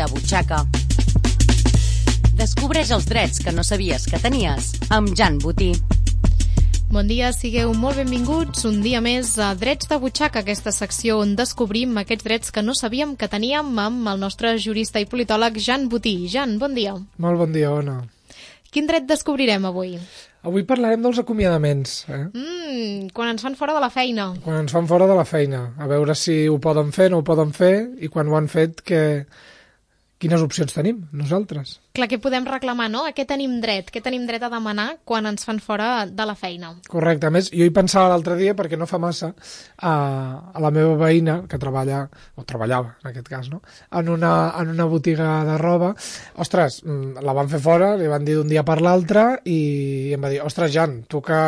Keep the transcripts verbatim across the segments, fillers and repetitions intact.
de butxaca. Descobreix els drets que no sabies que tenies amb Jan Botí. Bon dia, sigueu molt benvinguts un dia més a Drets de Butxaca, aquesta secció on descobrim aquests drets que no sabíem que teníem amb el nostre jurista i politòleg Jan Botí. Jan, bon dia. Molt bon dia, Ona. Quin dret descobrirem avui? Avui parlarem dels acomiadaments. Eh? Mm, quan ens fan fora de la feina. Quan ens fan fora de la feina. A veure si ho poden fer, no ho poden fer, i quan ho han fet, que... quines opcions tenim nosaltres? Clar, què podem reclamar, no? A què tenim dret? Què tenim dret a demanar quan ens fan fora de la feina? Correcte. A més, jo hi pensava l'altre dia, perquè no fa massa, a, a la meva veïna, que treballa, o treballava, en aquest cas, no? En una, en una botiga de roba. Ostres, la van fer fora, li van dir d'un dia per l'altre, i em va dir, ostres, Jan, tu que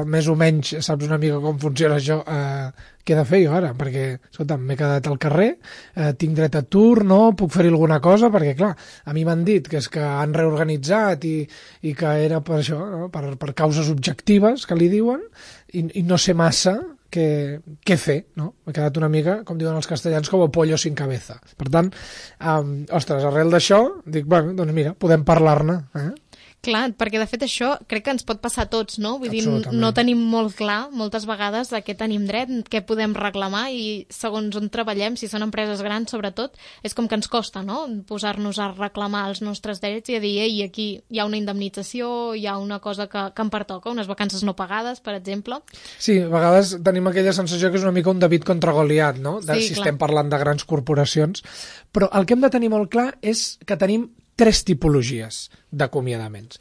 més o menys saps una mica com funciona això, eh, què he de fer jo ara? Perquè, escolta, m'he quedat al carrer, eh, tinc dret a atur, no? Puc fer alguna cosa? Perquè, clar, a mi m'han dit que és que han reorganitzat i, i que era per això, no? per, per causes objectives, que li diuen, i, i no sé massa què, què fer, no? M'he quedat una mica, com diuen els castellans, com a pollo sin cabeza. Per tant, um, ostres, arrel d'això, dic, bueno, doncs mira, podem parlar-ne, eh? Clar, perquè de fet això crec que ens pot passar a tots, no? Vull dir, no tenim molt clar moltes vegades a què tenim dret, què podem reclamar i segons on treballem, si són empreses grans sobretot, és com que ens costa, no? Posar-nos a reclamar els nostres drets i a dir, ei, aquí hi ha una indemnització, hi ha una cosa que, que em pertoca, unes vacances no pagades, per exemple. Sí, a vegades tenim aquella sensació que és una mica un David contra Goliat, no? De, sí, si clar. Estem parlant de grans corporacions, però el que hem de tenir molt clar és que tenim tres tipologies d'acomiadaments.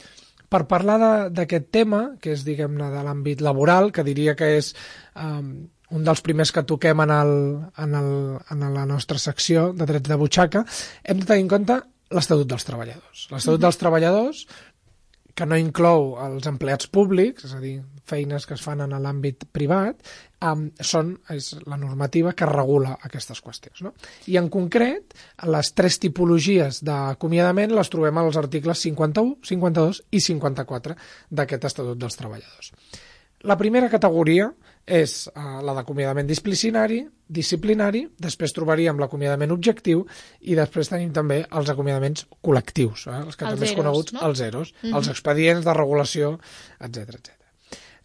Per parlar d'aquest tema, que és, diguem-ne, de l'àmbit laboral, que diria que és um, un dels primers que toquem en, el, en, el, en la nostra secció de drets de butxaca, hem de tenir en compte l'Estatut dels Treballadors. L'Estatut mm-hmm. dels Treballadors, que no inclou els empleats públics, és a dir, feines que es fan en l'àmbit privat, um, són, és la normativa que regula aquestes qüestions, no? I en concret, les tres tipologies d'acomiadament les trobem als articles cinquanta-u, cinquanta-dos i cinquanta-quatre d'aquest Estatut dels Treballadors. La primera categoria és uh, la d'acomiadament disciplinari, disciplinari, després trobaríem l'acomiadament objectiu i després tenim també els acomiadaments col·lectius, eh? els que els també zeros, és coneguts, no? els zeros, mm-hmm. els expedients de regulació, etcètera, etcètera.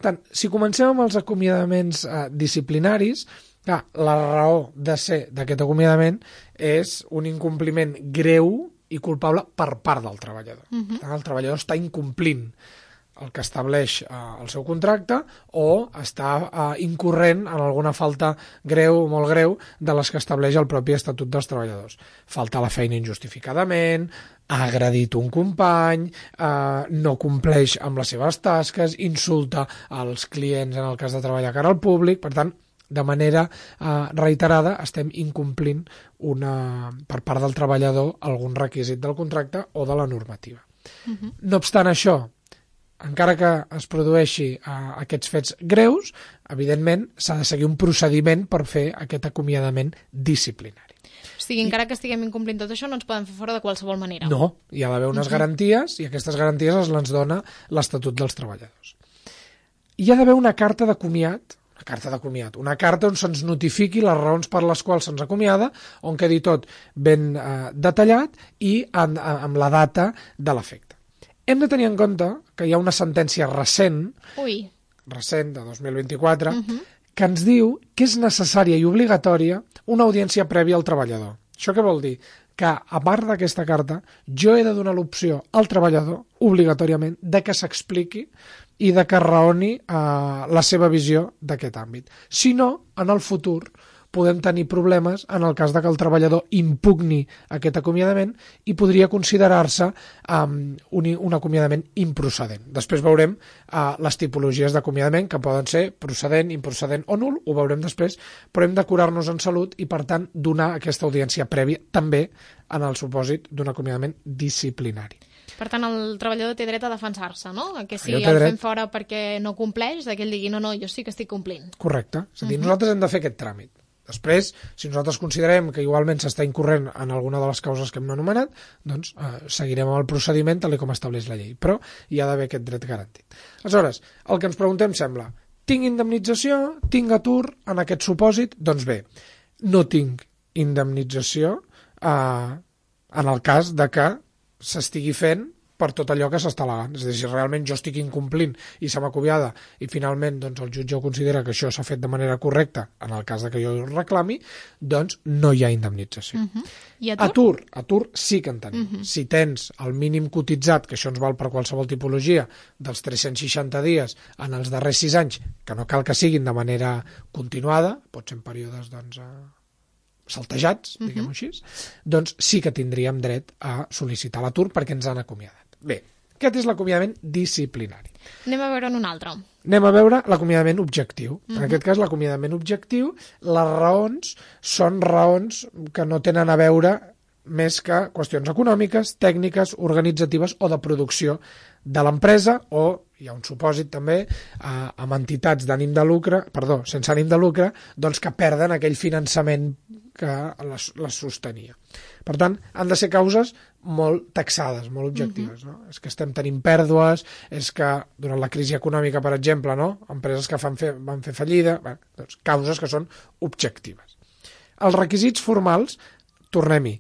Tant, si comencem amb els acomiadaments eh, disciplinaris, clar, la raó de ser d'aquest acomiadament és un incompliment greu i culpable per part del treballador. Mm-hmm. El treballador està incomplint el que estableix eh, el seu contracte o està eh, incorrent en alguna falta greu o molt greu de les que estableix el propi Estatut dels Treballadors. Falta la feina injustificadament, ha agredit un company, eh, no compleix amb les seves tasques, insulta als clients en el cas de treballar cara al públic, per tant, de manera eh, reiterada estem incomplint una, per part del treballador algun requisit del contracte o de la normativa. Uh-huh. No obstant això, encara que es produeixi uh, aquests fets greus, evidentment s'ha de seguir un procediment per fer aquest acomiadament disciplinari. O sigui, encara que estiguem incomplint tot això, no ens poden fer fora de qualsevol manera. No, hi ha d'haver unes uh-huh. garanties i aquestes garanties es les dona l'Estatut dels Treballadors. Hi ha d'haver una carta d'acomiat, una carta d'acomiat, una carta on se'ns notifiqui les raons per les quals se'ns acomiada, on quedi tot ben uh, detallat i en, amb la data de l'efecte. Hem de tenir en compte que hi ha una sentència recent, Ui. recent de dos mil vint-i-quatre, uh-huh. que ens diu que és necessària i obligatòria una audiència prèvia al treballador. Això què vol dir? Que, a part d'aquesta carta, jo he de donar l'opció al treballador, obligatòriament, de que s'expliqui i de que raoni eh, la seva visió d'aquest àmbit. Si no, en el futur podem tenir problemes en el cas de que el treballador impugni aquest acomiadament i podria considerar-se um, un, un acomiadament improcedent. Després veurem uh, les tipologies d'acomiadament que poden ser procedent, improcedent o nul, ho veurem després, però hem de curar-nos en salut i, per tant, donar aquesta audiència prèvia també en el supòsit d'un acomiadament disciplinari. Per tant, el treballador té dret a defensar-se, no? Que si el dret... fem fora perquè no compleix, que ell digui, no, no, jo sí que estic complint. Correcte. És a dir, uh-huh. nosaltres hem de fer aquest tràmit. Després, si nosaltres considerem que igualment s'està incorrent en alguna de les causes que hem anomenat, doncs eh, seguirem amb el procediment tal com estableix la llei, però hi ha d'haver aquest dret garantit. Aleshores, el que ens preguntem sembla, tinc indemnització, tinc atur en aquest supòsit? Doncs bé, no tinc indemnització, eh, en el cas de que s'estigui fent per tot allò que s'està al·legant. És a dir, si realment jo estic incomplint i se m'acomiada i finalment doncs, el jutge ho considera que això s'ha fet de manera correcta, en el cas de que jo ho reclami, doncs no hi ha indemnització. Uh -huh. I atur? Atur, atur sí que en tenim. Uh -huh. Si tens el mínim cotitzat, que això ens val per qualsevol tipologia, dels tres-cents seixanta dies en els darrers sis anys, que no cal que siguin de manera continuada, pot ser en períodes doncs, saltejats, diguem-ho així, doncs sí que tindríem dret a sol·licitar l'atur perquè ens han acomiadat. Bé, aquest és l'acomiadament disciplinari. Anem a veure en un altre. Anem a veure l'acomiadament objectiu. Uh-huh. En Mhm. aquest cas, l'acomiadament objectiu, les raons són raons que no tenen a veure més que qüestions econòmiques, tècniques, organitzatives o de producció de l'empresa, o hi ha un supòsit també eh, amb entitats d'ànim de lucre, perdó, sense ànim de lucre, doncs que perden aquell finançament que les, les sostenia. Per tant, han de ser causes molt taxades, molt objectives. No? És que estem tenint pèrdues, és que durant la crisi econòmica, per exemple, no? Empreses que fan fer, van fer fallida, bé, doncs, causes que són objectives. Els requisits formals, tornem-hi,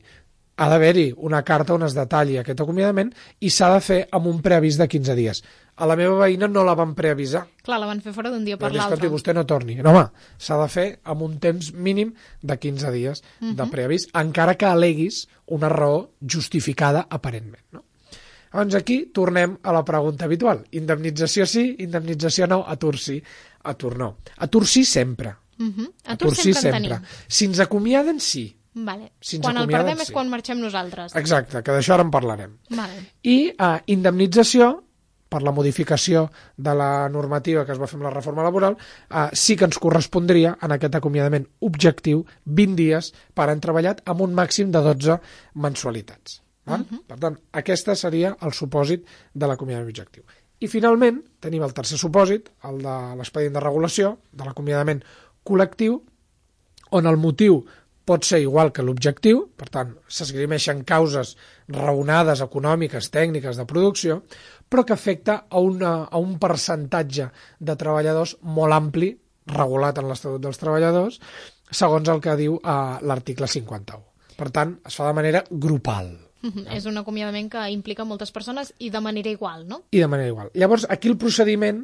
ha d'haver-hi una carta on es detalli aquest acomiadament i s'ha de fer amb un preavís de quinze dies. A la meva veïna no la van preavisar. Clar, la van fer fora d'un dia per Doncs, l'altre. escolti, vostè no torni. No, home, s'ha de fer amb un temps mínim de quinze dies uh-huh. de preavís, encara que aleguis una raó justificada aparentment. No? Llavors aquí tornem a la pregunta habitual. Indemnització sí, indemnització no, atur sí, atur no. Atur sí sempre. Uh-huh. Atur, atur sí sempre. Si ens acomiaden, sí. Vale. Si quan el perdem sí. és quan marxem nosaltres. Exacte, que d'això ara en parlarem. Vale. I uh, indemnització, per la modificació de la normativa que es va fer amb la reforma laboral, uh, sí que ens correspondria en aquest acomiadament objectiu vint dies per any treballat amb un màxim de dotze mensualitats. Val? Uh-huh. Per tant, aquest seria el supòsit de l'acomiadament objectiu. I finalment tenim el tercer supòsit, el de l'expedient de regulació, de l'acomiadament col·lectiu, on el motiu pot ser igual que l'objectiu, per tant, s'esgrimeixen causes raonades, econòmiques, tècniques, de producció, però que afecta a, una, a un percentatge de treballadors molt ampli, regulat en l'Estatut dels Treballadors, segons el que diu eh, l'article cinquanta-u. Per tant, es fa de manera grupal. Uh-huh. És un acomiadament que implica moltes persones i de manera igual, no? I de manera igual. Llavors, aquí el procediment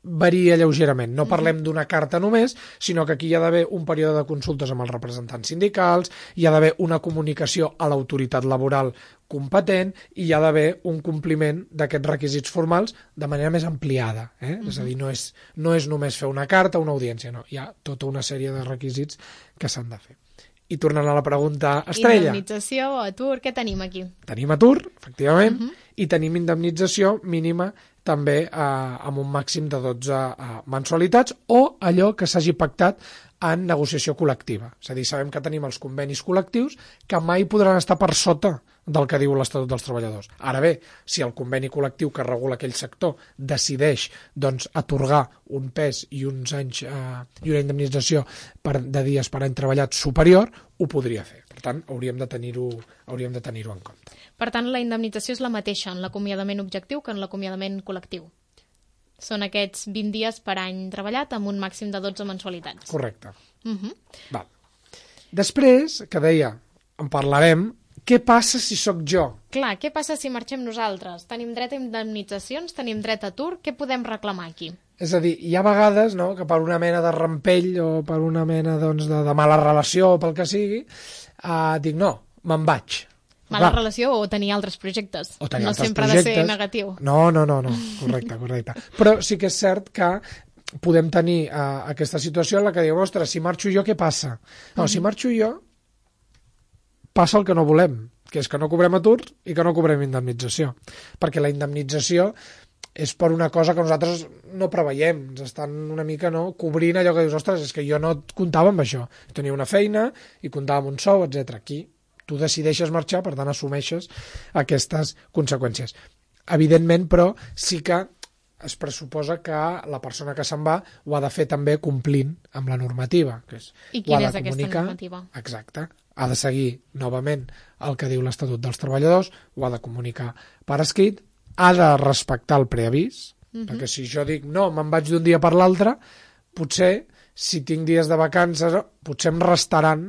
varia lleugerament. No parlem d'una carta només, sinó que aquí hi ha d'haver un període de consultes amb els representants sindicals, hi ha d'haver una comunicació a l'autoritat laboral competent i hi ha d'haver un compliment d'aquests requisits formals de manera més ampliada. Eh? Uh-huh. És a dir, no és, no és només fer una carta o una audiència, no. Hi ha tota una sèrie de requisits que s'han de fer. I tornant a la pregunta estrella. Indemnització, atur, què tenim aquí? Tenim atur, efectivament, Uh-huh. i tenim indemnització mínima també eh, amb un màxim de dotze eh, mensualitats o allò que s'hagi pactat en negociació col·lectiva. És a dir, sabem que tenim els convenis col·lectius que mai podran estar per sota del que diu l'Estatut dels Treballadors. Ara bé, si el conveni col·lectiu que regula aquell sector decideix doncs, atorgar un pes i uns anys eh, i una indemnització per, de dies per any treballat superior, ho podria fer. Per tant, hauríem de tenir-ho hauríem de tenir-ho en compte. Per tant, la indemnització és la mateixa en l'acomiadament objectiu que en l'acomiadament col·lectiu. Són aquests vint dies per any treballat amb un màxim de dotze mensualitats. Correcte. Uh-huh. Val. Després, que deia, en parlarem, què passa si sóc jo? Clar, què passa si marxem nosaltres? Tenim dret a indemnitzacions, tenim dret a atur, què podem reclamar aquí? És a dir, hi ha vegades no, que per una mena de rampell o per una mena doncs, de, de mala relació o pel que sigui, eh, dic no, me'n vaig. Mala Clar. relació o tenir altres projectes. O tenir no altres sempre projectes. ha de ser negatiu. No, no, no, no. Correcte, correcte. Però sí que és cert que podem tenir uh, aquesta situació en la que diguem, ostres, si marxo jo, què passa? No, mm-hmm. si marxo jo, passa el que no volem, que és que no cobrem atur i que no cobrem indemnització. Perquè la indemnització és per una cosa que nosaltres no preveiem. Ens estan una mica no, cobrint allò que dius, ostres, és que jo no comptava amb això. Tenia una feina i comptava amb un sou, etcètera. Aquí tu decideixes marxar, per tant assumeixes aquestes conseqüències. Evidentment, però, sí que es pressuposa que la persona que se'n va ho ha de fer també complint amb la normativa. Que és, I quina és aquesta normativa? Exacte. Ha de seguir novament el que diu l'Estatut dels Treballadors, ho ha de comunicar per escrit, ha de respectar el preavís, uh-huh. perquè si jo dic no, me'n vaig d'un dia per l'altre, potser, si tinc dies de vacances, potser em restaran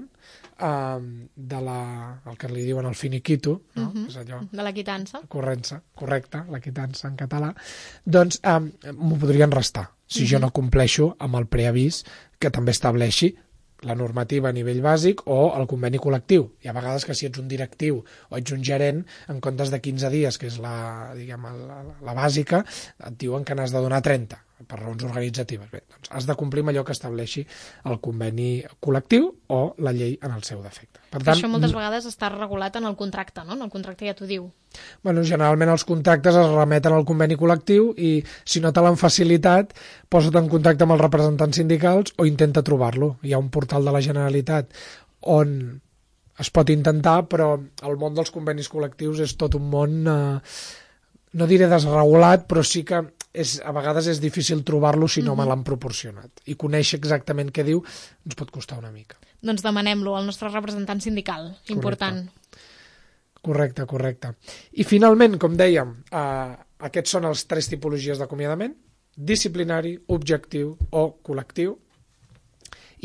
uh, de la, el que li diuen el finiquito, no? Uh-huh. És allò, de la quitança. corrença, correcte, la quitança en català, doncs um, m'ho podrien restar si uh-huh. jo no compleixo amb el preavís que també estableixi la normativa a nivell bàsic o el conveni col·lectiu. Hi ha vegades que si ets un directiu o ets un gerent, en comptes de quinze dies, que és la, diguem, la, la bàsica, et diuen que n'has de donar trenta, per raons organitzatives. Bé, doncs has de complir amb allò que estableixi el conveni col·lectiu o la llei en el seu defecte. Per tant, això moltes vegades està regulat en el contracte, no? En el contracte ja t'ho diu. Bueno, generalment els contractes es remeten al conveni col·lectiu i si no te l'han facilitat, posa't en contacte amb els representants sindicals o intenta trobar-lo. Hi ha un portal de la Generalitat on es pot intentar, però el món dels convenis col·lectius és tot un món, eh, no diré desregulat, però sí que és, a vegades és difícil trobar-lo si no mm-hmm. me l'han proporcionat. I conèixer exactament què diu ens pot costar una mica. Doncs demanem-lo al nostre representant sindical. Important. Correcte, correcte. I finalment, com dèiem, eh, aquests són els tres tipologies d'acomiadament: disciplinari, objectiu o col·lectiu.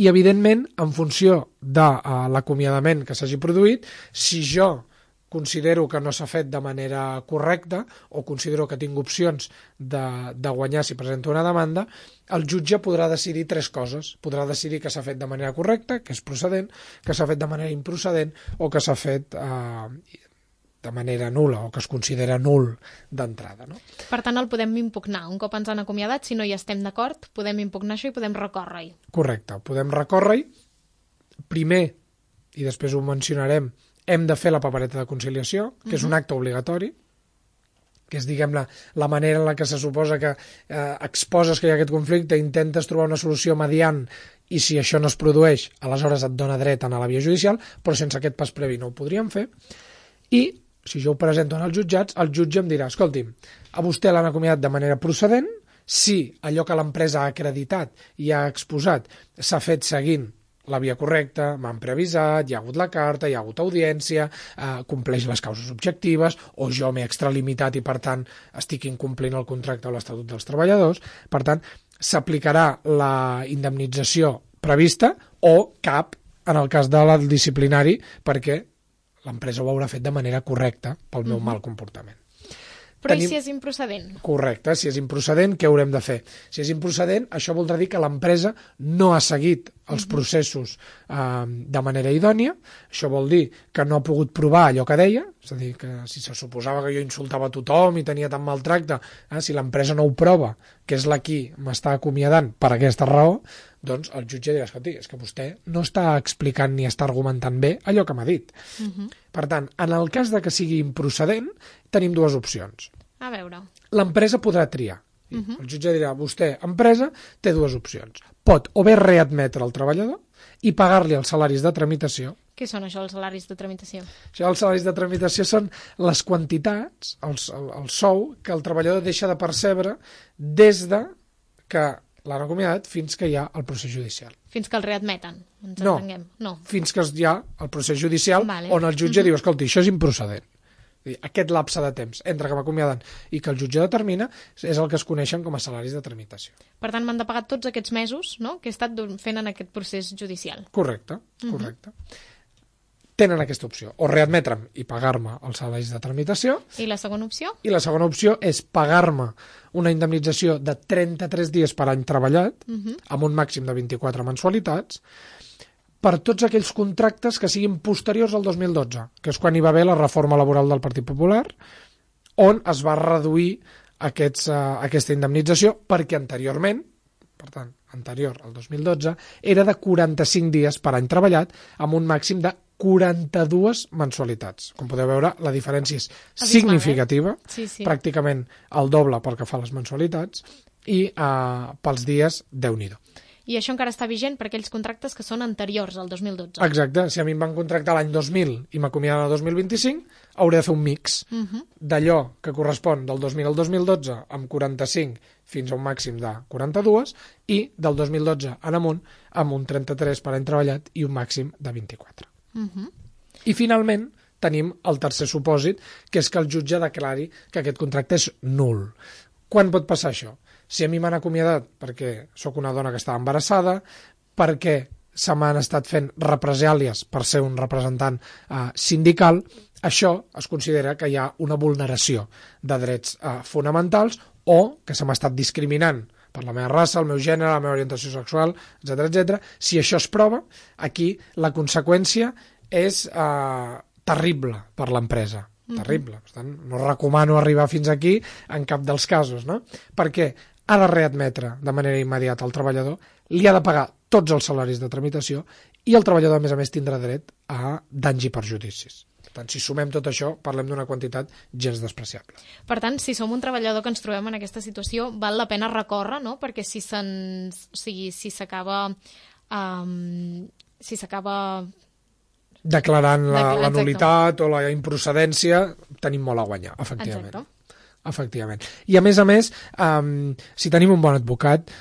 I, evidentment, en funció de uh, l'acomiadament que s'hagi produït, si jo considero que no s'ha fet de manera correcta o considero que tinc opcions de, de guanyar si presento una demanda, el jutge podrà decidir tres coses. Podrà decidir que s'ha fet de manera correcta, que és procedent, que s'ha fet de manera improcedent o que s'ha fet eh, de manera nul·la o que es considera nul d'entrada. No? Per tant, el podem impugnar. Un cop ens han acomiadat, si no hi estem d'acord, podem impugnar això i podem recórrer-hi. Correcte, podem recórrer-hi. Primer, i després ho mencionarem, hem de fer la papereta de conciliació, que uh-huh. és un acte obligatori, que és, diguem, la, la manera en la que se suposa que eh, exposes que hi ha aquest conflicte, intentes trobar una solució mediant i si això no es produeix, aleshores et dona dret a anar a la via judicial, però sense aquest pas previ no ho podríem fer. I si jo ho presento en els jutjats, el jutge em dirà: escolti'm, a vostè l'han acomiadat de manera procedent, si allò que l'empresa ha acreditat i ha exposat s'ha fet seguint la via correcta, m'han preavisat, hi ha hagut la carta, hi ha hagut audiència, eh, compleix les causes objectives, o jo m'he extralimitat i, per tant, estic incomplint el contracte o l'Estatut dels Treballadors. Per tant, s'aplicarà la indemnització prevista o cap en el cas del disciplinari, perquè l'empresa ho haurà fet de manera correcta pel meu mm-hmm. mal comportament. Però Tenim... i si és improcedent? Correcte, si és improcedent, què haurem de fer? Si és improcedent, això voldrà dir que l'empresa no ha seguit els processos eh, de manera idònia. Això vol dir que no ha pogut provar allò que deia, és a dir, que si se suposava que jo insultava a tothom i tenia tant maltracte, eh, si l'empresa no ho prova, que és la qui m'està acomiadant per aquesta raó, doncs el jutge dirà: escolti, és que vostè no està explicant ni està argumentant bé allò que m'ha dit. Uh-huh. Per tant, en el cas de que sigui improcedent, tenim dues opcions. A veure. L'empresa podrà triar. Uh-huh. El jutge dirà: vostè, empresa, té dues opcions. Pot o bé readmetre el treballador i pagar-li els salaris de tramitació. Què són això, els salaris de tramitació? Això, els salaris de tramitació són les quantitats, els, el, el sou, que el treballador deixa de percebre des de que l'han acomiadat fins que hi ha el procés judicial. Fins que el readmeten, ens no, entenguem. No, fins que hi ha el procés judicial vale. On el jutge uh-huh. diu: escolti, això és improcedent. Aquest lapse de temps entre que m'acomiaden i que el jutge determina és el que es coneixen com a salaris de tramitació. Per tant, m'han de pagar tots aquests mesos, no?, que he estat fent en aquest procés judicial. Correcte, correcte. Uh-huh. Tenen aquesta opció, o readmetre'm i pagar-me els salaris de tramitació. I la segona opció? I la segona opció és pagar-me una indemnització de trenta-tres dies per any treballat, uh-huh. amb un màxim de vint-i-quatre mensualitats, per tots aquells contractes que siguin posteriors al dos mil dotze, que és quan hi va haver la reforma laboral del Partit Popular, on es va reduir aquests, uh, aquesta indemnització, perquè anteriorment, per tant, anterior al dos mil dotze, era de quaranta-cinc dies per any treballat, amb un màxim de quaranta-dues mensualitats. Com podeu veure, la diferència és significativa, eh? sí, sí. pràcticament el doble pel que fa a les mensualitats, i uh, pels dies, Déu-n'hi-do. I això encara està vigent per aquells contractes que són anteriors al dos mil dotze. Exacte. Si a mi em van contractar l'any dos mil i m'acomiaden el dos mil vint-i-cinc, hauré de fer un mix uh-huh. d'allò que correspon del dos mil al dos mil dotze amb quaranta-cinc fins a un màxim de quaranta-dos i del dos mil dotze en amunt amb un trenta-tres per any treballat i un màxim de vint-i-quatre. Uh-huh. I finalment tenim el tercer supòsit, que és que el jutge declari que aquest contracte és nul. Quan pot passar això? Si a mi m'han acomiadat perquè sóc una dona que estava embarassada, perquè se m'han estat fent represàlies per ser un representant eh, sindical, això es considera que hi ha una vulneració de drets eh, fonamentals o que se m'ha estat discriminant per la meva raça, el meu gènere, la meva orientació sexual, etcètera, etcètera. Si això es prova, aquí la conseqüència és eh, terrible per l'empresa. Mm-hmm. Terrible. Per tant, no recomano arribar fins aquí en cap dels casos, no? Perquè ha de readmetre de manera immediata al treballador, li ha de pagar tots els salaris de tramitació i el treballador, a més a més, tindrà dret a danys i perjudicis. Per tant, si sumem tot això, parlem d'una quantitat gens despreciable. Per tant, si som un treballador que ens trobem en aquesta situació, val la pena recórrer, no? Perquè si se'ns... O sigui, si s'acaba... Um, si s'acaba... declarant la, la nul·litat o la improcedència, tenim molt a guanyar, efectivament. Exacte. Efectivament. I a més a més, um, si tenim un bon advocat,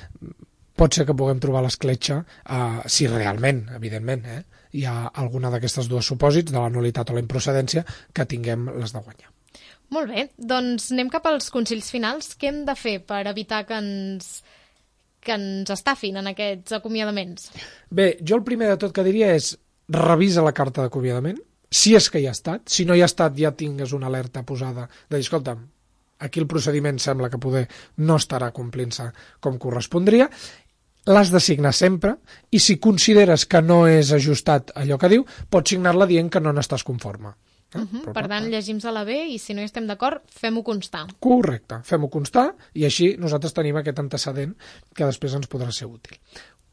pot ser que puguem trobar l'escletxa, uh, si realment, evidentment, eh, hi ha alguna d'aquestes dues supòsits, de la nul·litat o la improcedència, que tinguem les de guanyar. Molt bé, doncs anem cap als consells finals. Què hem de fer per evitar que ens, que ens estafin en aquests acomiadaments? Bé, jo el primer de tot que diria és revisa la carta d'acomiadament, si és que hi ha estat. Si no hi ha estat, ja tingues una alerta posada de dir, escolta'm, aquí el procediment sembla que poder no estarà complint-se com correspondria. L'has de signar sempre i si consideres que no és ajustat allò que diu, pots signar-la dient que no n'estàs conforme. Eh? Uh -huh. Per tant, llegim-se-la bé i si no hi estem d'acord, fem-ho constar. Correcte, fem-ho constar i així nosaltres tenim aquest antecedent que després ens podrà ser útil.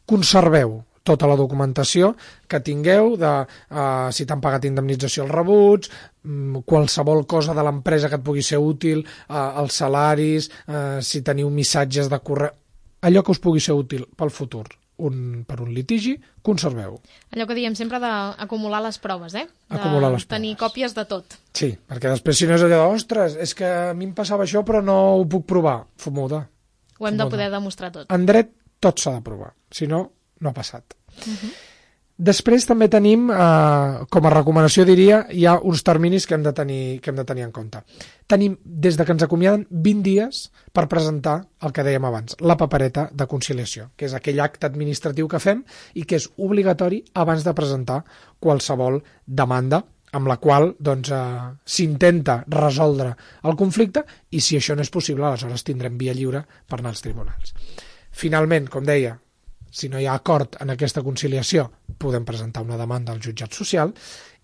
Conserveu tota la documentació que tingueu de uh, si t'han pagat indemnització als rebuts, um, qualsevol cosa de l'empresa que et pugui ser útil, uh, els salaris, uh, si teniu missatges de correu, allò que us pugui ser útil pel futur un, per un litigi, conserveu. Allò que diem sempre d'acumular les proves, eh? De acumular les tenir proves. còpies de tot. Sí, perquè després si no és allò de, ostres, és que a mi em passava això però no ho puc provar. Fumuda. Ho hem Fumuda. de poder demostrar tot. En dret tot s'ha de provar, si no, no ha passat. Uh-huh. Després també tenim, eh, com a recomanació diria, hi ha uns terminis que hem de tenir, que hem de tenir en compte. Tenim, des de que ens acomiaden, vint dies per presentar el que dèiem abans, la papereta de conciliació, que és aquell acte administratiu que fem i que és obligatori abans de presentar qualsevol demanda amb la qual doncs, eh, s'intenta resoldre el conflicte i si això no és possible, aleshores tindrem via lliure per anar als tribunals. Finalment, com deia, si no hi ha acord en aquesta conciliació, podem presentar una demanda al jutjat social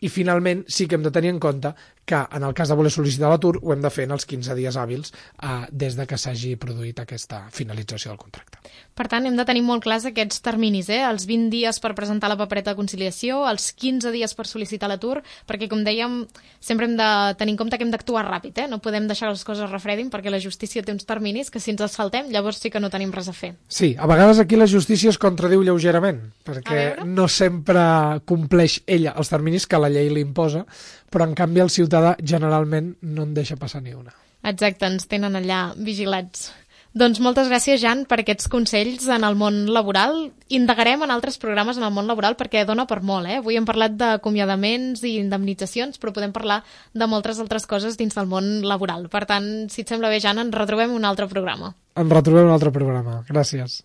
i finalment sí que hem de tenir en compte que en el cas de voler sol·licitar l'atur ho hem de fer en els quinze dies hàbils eh, des de que s'hagi produït aquesta finalització del contracte. Per tant, hem de tenir molt clars aquests terminis, eh? Els vint dies per presentar la papereta de conciliació, els quinze dies per sol·licitar l'atur, perquè, com dèiem, sempre hem de tenir en compte que hem d'actuar ràpid, eh? No podem deixar les coses refredin perquè la justícia té uns terminis que si ens els saltem, llavors sí que no tenim res a fer. Sí, a vegades aquí la justícia es contradiu lleugerament, perquè no sempre compleix ella els terminis que la llei li imposa, però en canvi el ciutadà generalment no en deixa passar ni una. Exacte, ens tenen allà vigilats. Doncs moltes gràcies, Jan, per aquests consells en el món laboral. Indagarem en altres programes en el món laboral perquè dona per molt, eh? Avui hem parlat d'acomiadaments i indemnitzacions, però podem parlar de moltes altres coses dins del món laboral. Per tant, si et sembla bé, Jan, ens retrobem un altre programa. Ens retrobem un altre programa. Gràcies.